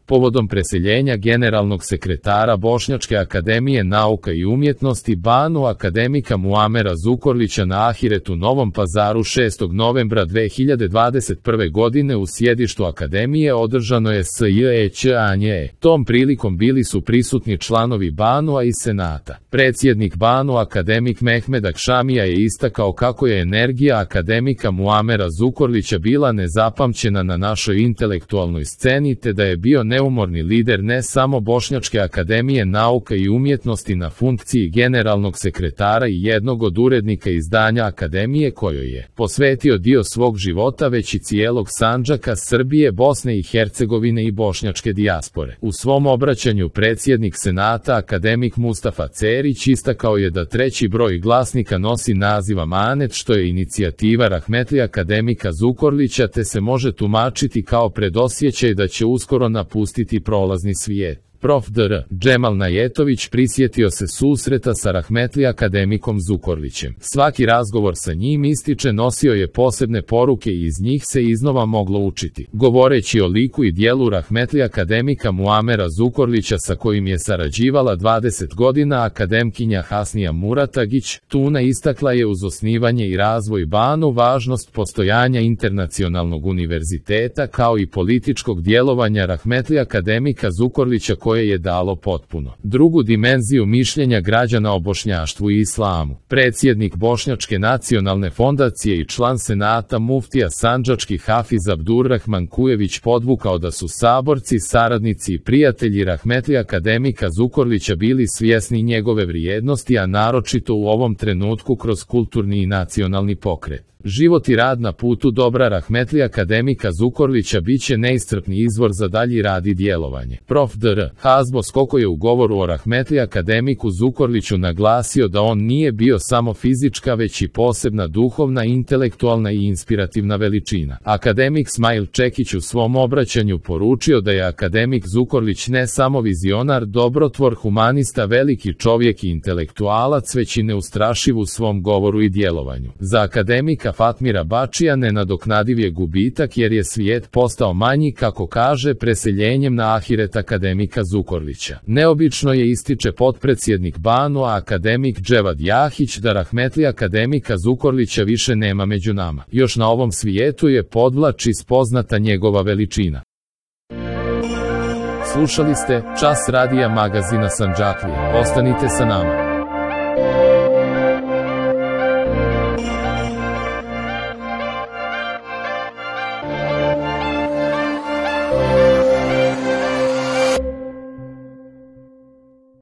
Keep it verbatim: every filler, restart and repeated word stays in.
povodom preseljenja generalnog sekretara Bošnjačke akademije nauka i umjetnosti Banu akademika Muamera Zukorlića na Ahiret u Novom Pazaru šestog novembra dve hiljade dvadeset prve godine u sjedištu akademije održano je S J E Ć A N J E. Tom prilikom bili su prisutni članovi Banua i Senata. Predsjednik Banu akademik Mehmed Akšamija je istakao kako je energija akademika Muamera Zukorlića bila nezapamćena na našoj intelektualnoj sceni te da je bio neumorni lider ne samo Bošnjačke akademije nauka i umjetnosti na funkciji generalnog sekretara i jednog od urednika izdanja akademije kojoj je posvetio dio svog života već i cijelog Sandžaka, Srbije, Bosne i Hercegovine i bošnjačke dijaspore. U svom obraćanju predsjednik Senata akademik Mustafa Cerić istakao je da treći broj glasnika nosi naziv Amanet što je inicijativa rahmetli akademika Zukorlića te se može tumačiti kao predosjećaj da će uskoro napustiti prolazni svijet. Prof dr Džemal Najetović prisjetio se susreta sa rahmetli akademikom Zukorlićem. Svaki razgovor sa njim, ističe, nosio je posebne poruke i iz njih se iznova moglo učiti. Govoreći o liku i dijelu rahmetli akademika Muamera Zukorlića sa kojim je sarađivala dvadeset godina, akademkinja Hasnija Muratagić Tuna istakla je uz osnivanje i razvoj Banu važnost postojanja internacionalnog univerziteta kao i političkog djelovanja rahmetli akademika Zukorlića koje je dalo potpuno drugu dimenziju mišljenja građana o bošnjaštvu i islamu. Predsjednik Bošnjačke nacionalne fondacije i član Senata muftija sandžački Hafiz Abdurrahman Kujević podvukao da su saborci, saradnici i prijatelji rahmetli akademika Zukorlića bili svjesni njegove vrijednosti, a naročito u ovom trenutku kroz kulturni i nacionalni pokret. Život i rad na putu dobra rahmetli akademika Zukorlića bit će neiscrpni izvor za dalji rad i djelovanje. Prof dr Hazbo Skoko je u govoru o rahmetli akademiku Zukorliću naglasio da on nije bio samo fizička već i posebna duhovna, intelektualna i inspirativna veličina. Akademik Smail Čekić u svom obraćanju poručio da je akademik Zukorlić ne samo vizionar, dobrotvor, humanista, veliki čovjek i intelektualac, već i neustrašiv u svom govoru i djelovanju. Za akademika Fatmira Bačija nenadoknadiv je gubitak jer je svijet postao manji, kako kaže, preseljenjem na Ahiret akademika Zukorlića. Neobično je, ističe potpredsjednik Banua akademik Dževad Jahić, da rahmetli akademika Zukorlića više nema među nama. Još na ovom svijetu je, podvlači, spoznata njegova veličina. Slušali ste Čas radija magazina Sandžaklije. Ostanite sa nama.